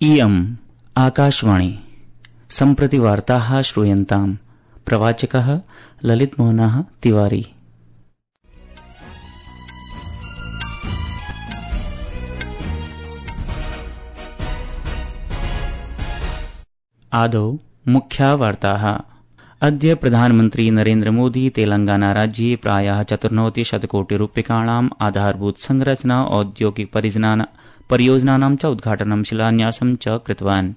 इयम् आकाशवाणी सम्प्रति वार्ताः श्रूयन्ताम्। प्रवाचकः ललितमोहनः तिवारी। आदौ मुख्या वार्ताः। अद्य प्रधानमन्त्री नरेन्द्र मोदी तेलंगाना राज्ये प्रायः 94 कोटिरूप्यकाणाम् आधारभूत संरचना औद्योगिक परियोजनानां च उद्घाटनं शिलान्यासं च कृतवान्।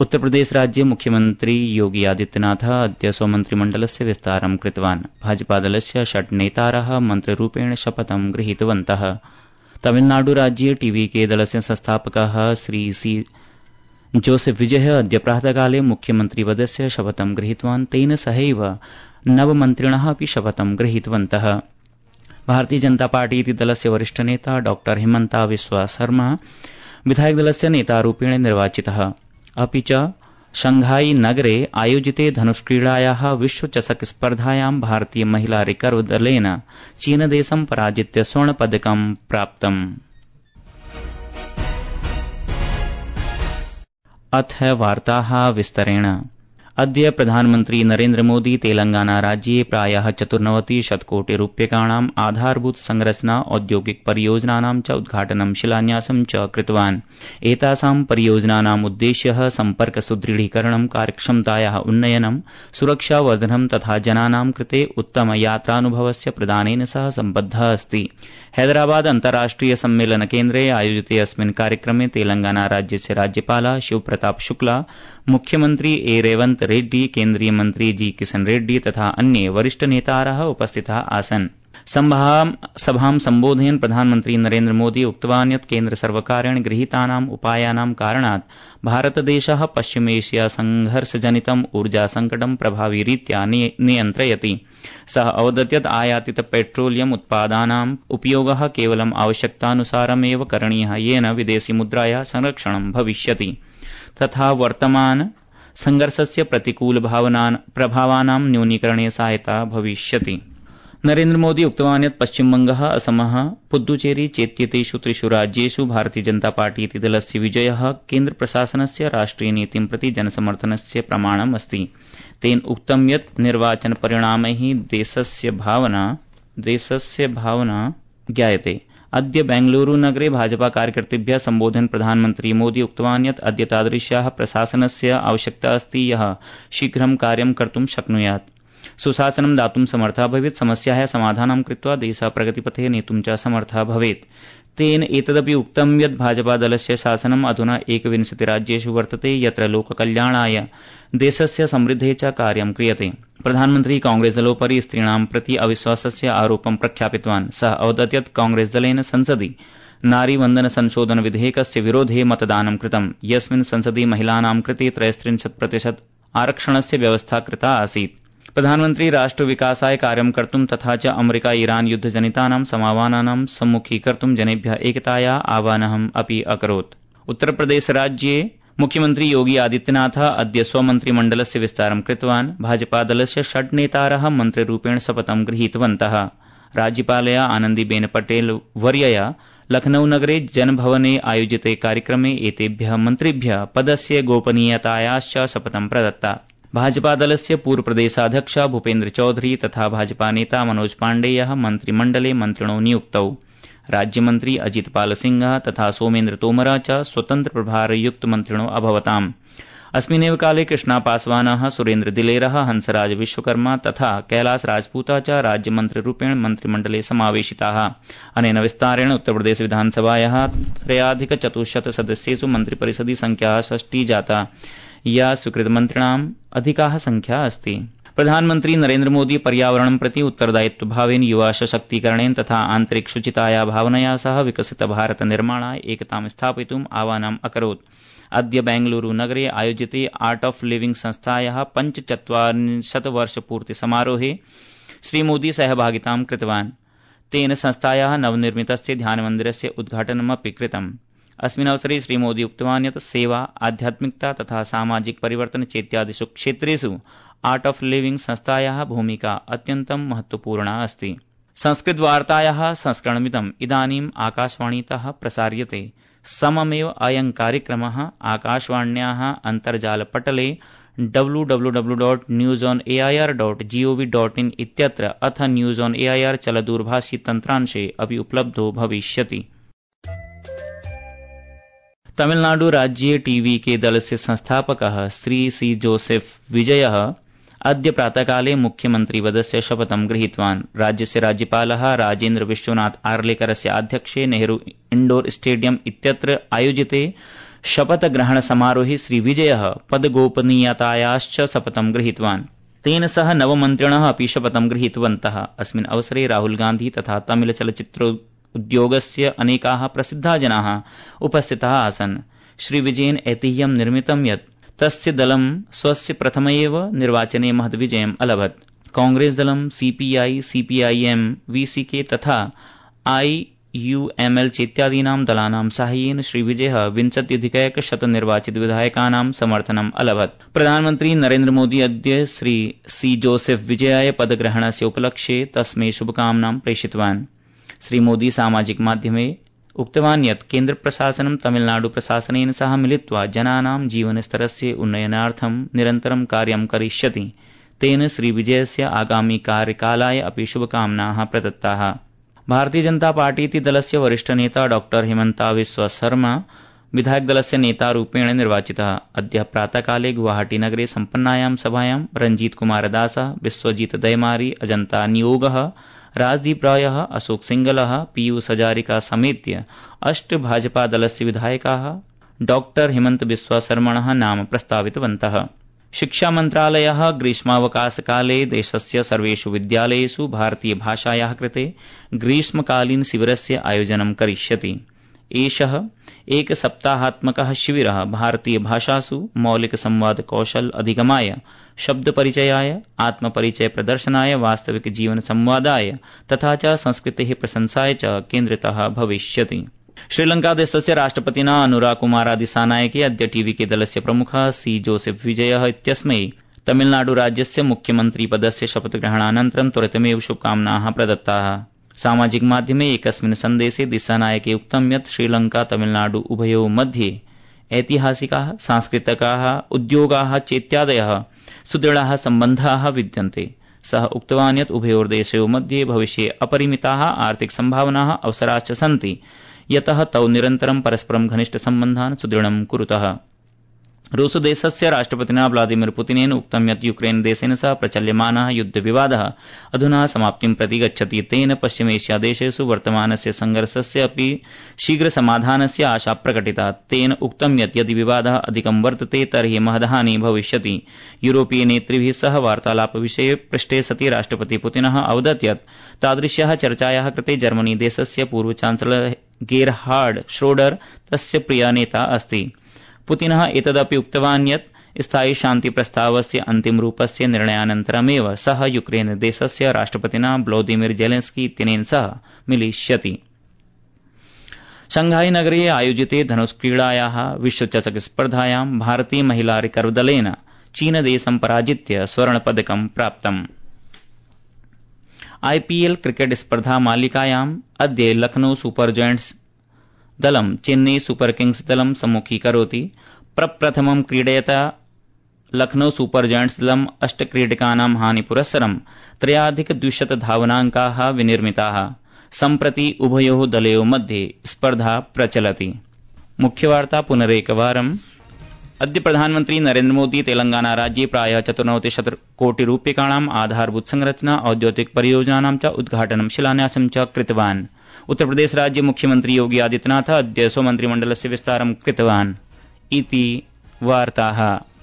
उत्तरप्रदेश राज्ये मुख्यमन्त्री योगी आदित्यनाथः अद्य स्वमन्त्रिमण्डलस्य विस्तारं कृतवान्। भाजपादलस्य 6 नेतारः मन्त्रिरूपेण शपथं गृहीतवन्तः। तमिलनाडु राज्ये टीवीके दलस्य संस्थापकः श्री सी जोसेफ विजयः अद्य प्रातःकाले मुख्यमन्त्रिपदस्य शपथं गृहीतवान्। तेन सहैव नवमन्त्रिणः अपि शपथं गृहीतवन्तः। भारतीय जनता पार्टी इति दलस्य वरिष्ठ नेता डॉ हिमन्ता बिस्वा शर्मा विधायकदलस्य नेतारूपेण निर्वाचितः। अपि च शंघाई नगरे आयोजिते धनुष्क्रीडायाः विश्वचषक स्पर्धायां भारतीय महिला रिकर्व दलेन चीनदेशं पराजित्य स्वर्णपदकं प्राप्तम्। अथ वार्ताः विस्तरेण। अद्य प्रधानमन्त्री नरेन्द्र मोदी तेलंगाना राज्ये प्रायः 94 कोटिरूप्यकाणाम् आधारभूत संरचना औद्योगिक परियोजनानां च उद्घाटनं शिलान्यासं च कृतवान्। एतासां परियोजनानाम् उद्देश्यः सम्पर्क सुदृढीकरणं, कार्यक्षमतायाः उन्नयनं, सुरक्षावर्धनं तथा जनानां कृते उत्तम यात्रानुभवस्य प्रदानेन सह सम्बद्धः अस्ति। हैदराबाद अन्ताराष्ट्रिय सम्मेलन केन्द्रे आयोजिते अस्मिन् कार्यक्रमे तेलंगाना राज्यस्य राज्यपालः शिवप्रताप शुक्ला, मुख्यमन्त्री ए रेवन्त रेड्डी, केन्द्रीय मन्त्री जी किशन रेड्डी तथा अन्ये वरिष्ठ नेतारः उपस्थिताः आसन्। सभां सम्बोधयन् प्रधानमन्त्री नरेन्द्र मोदी उक्तवान् यत् केन्द्रसर्वकारेण गृहीतानाम् उपायानां कारणात् भारतदेशः पश्चिमेशिया संघर्षजनितम् ऊर्जा संकटं प्रभाविरीत्या नियन्त्रयति। सः अवदत् यत् आयातित पेट्रोलियम उत्पादानाम् उपयोगः केवलम् आवश्यकतानुसारमेव करणीयः, येन विदेशी मुद्रायाः संरक्षणं भविष्यति तथा वर्तमान संघर्षस्य प्रतिकूल प्रभावानां न्यूनीकरणे सहायता भविष्यति। नरेन्द्र मोदी उक्तवान् यत् पश्चिमबंगः, असमः, पुद्दुचेरी चेत्येतेषु 3 राज्येषु भारतीय जनता पार्टी इति दलस्य विजयः केन्द्रप्रशासनस्य राष्ट्रियनीतिं प्रति जनसमर्थनस्य प्रमाणम् अस्ति। तेन उक्तं यत् निर्वाचनपरिणामैः देशस्य भावना ज्ञायते। अद्य बेंगलुरू नगरे भाजपा कार्यकर्तृभ्यः सम्बोधयन् प्रधानमन्त्री मोदी उक्तवान् यत् अद्य तादृश्याः प्रशासनस्य आवश्यकता अस्ति यः शीघ्रं कार्यं कर्तुं शक्नुयात्, सुशासनं दातुं समर्थः भवेत्, समस्याः समाधानं कृत्वा देशः प्रगतिपथे नेतुं च समर्थः भवेत्। तेन एतदपि उक्तं यत् भाजपा दलस्य शासनम् अधुना 21 राज्येषु वर्तते यत्र लोककल्याणाय देशस्य समृद्धेः च कार्यं क्रियते। प्रधानमन्त्री कांग्रेसदलोपरि स्त्रीणां प्रति अविश्वासस्य आरोपं प्रख्यापितवान्। सः अवदत् यत् कांग्रेसदलेन संसदि नारीवन्दन संशोधन विधेयकस्य विरोधे मतदानं कृतम्, यस्मिन् संसदि महिलानां कृते 33% आरक्षणस्य व्यवस्था कृता आसीत्। प्रधानमन्त्री राष्ट्रविकासाय कार्यं कर्तुं तथा च अमेरिका ईरान युद्धजनितानां समावानानां सम्मुखीकर्तुं जनेभ्यः एकतायाः आह्वानम् अपि अकरोत्। उत्तरप्रदेश राज्ये मुख्यमन्त्री योगी आदित्यनाथः अद्य स्वमन्त्रिमण्डलस्य विस्तारं कृतवान्। भाजपादलस्य 6 नेतारः मन्त्रिरूपेण शपथं गृहीतवन्तः। राज्यपालया आनन्दीबेन पटेल वर्यया लखनऊ नगरे जनभवने आयोजिते कार्यक्रमे एतेभ्यः मन्त्रिभ्यः पदस्य गोपनीयतायाश्च शपथं प्रदत्ता। भाजपादलस्य पूर्वप्रदेशाध्यक्ष भूपेन्द्र चौधरी तथा भाजपा नेता मनोज पाण्डेयः मन्त्रिमण्डले मन्त्रिणो नियुक्तौ। राज्यमन्त्री अजित पाल सिंह तथा सोमेन्द्र तोमर च स्वतन्त्र प्रभारयुक्त मन्त्रिणो अभवताम्। अस्मिन्नेव काले कृष्णा पासवानः, सुरेन्द्र दिलेरः, हंसराज विश्वकर्मा तथा कैलाश राजपूतः च राज्यमन्त्रिरूपेण मन्त्रिमण्डले समावेशिताः। अनेन विस्तारेण उत्तरप्रदेश विधानसभायाः 3,400 सदस्येषु मन्त्रिपरिषदि संख्या 6 जाता, या स्वीकृतमन्त्रिणाम् अधिकाः संख्या अस्ति। प्रधानमन्त्री नरेन्द्र मोदी पर्यावरणं प्रति उत्तरदायित्वभावेन युवा सशक्तीकरणेन तथा आन्तरिक शुचिताया भावनया सह विकसित भारत निर्माणाय एकतां स्थापयितुम् आह्वानम् अकरोत्। अद्य बेंगलुरू नगरे आयोजिते आर्ट ऑफ लिविंग संस्थायाः 45 वर्षपूर्ति समारोहे श्रीमोदी सहभागितां कृतवान्। तेन संस्थायाः नवनिर्मितस्य ध्यानमन्दिरस्य उद्घाटनमपि कृतम्। अस्मिन् अवसरे श्रीमोदी उक्तवान् यत् सेवा, आध्यात्मिकता तथा सामाजिक परिवर्तन चेत्यादिषु क्षेत्रेषु आर्ट ऑफ लिविंग संस्थायाः भूमिका अत्यन्तं महत्वपूर्णा अस्ति। संस्कृतवार्तायाः संस्करणमिदम् इदानीम् आकाशवाणीतः प्रसार्यते। सममेव अयं कार्यक्रमः आकाशवाण्याः अन्तर्जालपटले www.newsonair.gov.in इत्यत्र अथ न्यूज ऑन एआईआर चलदूरभाषी तन्त्रांशे अपि उपलब्धो भविष्यति। तमिलनाडु राज्ये टीवीके दलस्य संस्थापकः श्री सी जोसेफ विजयः अद्य प्रातःकाले मुख्यमन्त्रिपदस्य शपथं गृहीतवान्। राज्यस्य राज्यपालः राजेन्द्र विश्वनाथ आर्लेकरस्य आध्यक्षे नेहरू इण्डोर स्टेडियम इत्यत्र आयोजिते शपथग्रहण समारोहे श्री विजयः पदगोपनीयतायाश्च शपथं गृहीतवान्। तेन सह नवमन्त्रिणः अपि शपथं गृहीतवन्तः। अस्मिन् अवसरे राहुल गान्धी तथा तमिल चलच्चित्रोद्योगस्य अनेकाः प्रसिद्धाः जनाः उपस्थिताः आसन्। श्री विजयेन ऐतिह्यं निर्मितं यत् तस्य दलं स्वस्य प्रथम एव निर्वाचने महद्विजयम् अलभत्। कांग्रेस दलं सीपीआई, सीपीआईएम, वीसीके तथा आईयूएमएल चेत्यादीनां दलानां साहाय्येन श्री विजयः 20,100 निर्वाचित विधायकानां समर्थनम् अलभत्। प्रधानमन्त्री नरेन्द्र मोदी अद्य श्री सी जोसेफ विजयाय पदग्रहणस्य उपलक्ष्ये तस्मै शुभकामनां प्रेषितवान्। श्री मोदी सामाजिक माध्यमे उक्तवान् यत् केन्द्र प्रशासनं तमिलनाडु प्रशासनेन सह मिलित्वा जनानां जीवनस्तरस्य उन्नयनार्थं निरन्तरं कार्यं करिष्यति। तेन श्री विजयस्य आगामी कार्यकालाय अपि शुभकामनाः प्रदत्ताः। भारतीय जनता पार्टी इति दलस्य वरिष्ठ नेता डॉक्टर हिमन्ता बिस्वा शर्मा विधायकदलस्य नेतारूपेण निर्वाचितः। अद्य प्रातःकाले गुवाहाटी नगरे सम्पन्नायां सभायां रंजीत कुमार दासः, विश्वजीत दयमारी, अजन्ता नियोगः, राजदीप रायः, अशोक सिंगलः, पीयूष हजारिका समेत्य 8 भाजपा दलस्य विधायकाः डॉक्टर हिमन्त बिस्वा शर्मणः नाम प्रस्तावितवन्तः। शिक्षा मन्त्रालयः ग्रीष्मावकाशकाले देशस्य सर्वेषु विद्यालयेषु भारतीय भाषायाः कृते ग्रीष्मकालीन शिविरस्य आयोजनं करिष्यति। एषः एक सप्ताहात्मकः शिविरः भारतीय भाषासु मौलिक संवाद कौशल अधिगमाय, शब्द परिचयाय, आत्मपरिचय प्रदर्शनाय, वास्तविक जीवन संवादाय तथा च संस्कृतेः प्रशंसाय च केन्द्रितः भविष्यति। श्रीलंका देशस्य राष्ट्रपतिना अनुराग कुमारादिसानायके अद्य टीवीके दलस्य प्रमुखः सी जोसेफ विजयः इत्यस्मै तमिलनाडु राज्यस्य मुख्यमन्त्रिपदस्य शपथग्रहणानन्तरं त्वरितमेव शुभकामनाः प्रदत्ताः। सामाजिक माध्यमे एकस्मिन् सन्देशे दिसानायके उक्तं यत् श्रीलंका तमिलनाडु उभयोः मध्ये ऐतिहासिकाः, सांस्कृतिकाः, उद्योगाः चेत्यादयः सुदृढाः सम्बन्धाः विद्यन्ते। सः उक्तवान् यत् उभयोर्देशयोः मध्ये भविष्ये अपरिमिताः आर्थिक सम्भावनाः अवसराश्च सन्ति, यतः तौ निरन्तरं परस्परं घनिष्ठसम्बन्धान् सुदृढं कुरुतः। रूसदेशस्य राष्ट्रपतिना व्लादिमीर पुतिनेन उक्तं यत् यूक्रेन देशेन सह प्रचल्यमानः युद्धविवादः अधुना समाप्तिं प्रति गच्छति। तेन पश्चिमेशियादेशेषु वर्तमानस्य संघर्षस्य अपि शीघ्र समाधानस्य आशा प्रकटिता। तेन उक्तं यत् यदि विवादः अधिकं वर्तते तर्हि महद्हानिः भविष्यति। यूरोपीय नेतृभिः सह वार्तालापविषये पृष्टे सति राष्ट्रपति पुतिनः अवदत् यत् तादृश्याः चर्चायाः कृते जर्मनी देशस्य पूर्व चान्सलर गेरहार्ड श्रोडर तस्य प्रिय नेता अस्ति। पुतिनः एतदपि उक्तवान् यत् स्थायी शान्ति प्रस्तावस्य अन्तिमरूपस्य निर्णयानन्तरमेव सः यूक्रेन देशस्य राष्ट्रपतिना व्लादिमीर जेलेन्स्की इत्यनेन सह मिलिष्यति। शंघाई नगरे आयोजिते धनुष्क्रीडायाः विश्वचषक स्पर्धायां भारतीय महिला रिकर्व दलेन चीनदेशं पराजित्य स्वर्णपदकं प्राप्तम्। आईपीएल क्रिकेट स्पर्धा मालिकायाम् अद्य लखनऊ सुपर जयंट्स दलं चेन्नई सुपर किंग्स दलं सम्मुखीकरोति। प्रप्रथमं क्रीडयता लखनऊ सुपर जयंट्स दलं 8 क्रीडकानां हानिपुरस्सरं 3,200 धावनाङ्काः विनिर्मिताः। सम्प्रति उभयोः दलयोः मध्ये स्पर्धा प्रचलति। मुख्यवार्ता पुनरेकवारम्। अद्य प्रधानमन्त्री नरेन्द्र मोदी तेलंगाना राज्ये प्रायः 94 कोटि रूप्यकाणाम् आधारभूत संरचना औद्योगिक परियोजनानां च उद्घाटनं शिलान्यासं च कृतवान्। उत्तरप्रदेश राज्य मुख्यमंत्री योगी आदित्यनाथ अद्य स्वमन्त्रिमण्डलस्य विस्तारं कृतवान्। इति वार्ताः।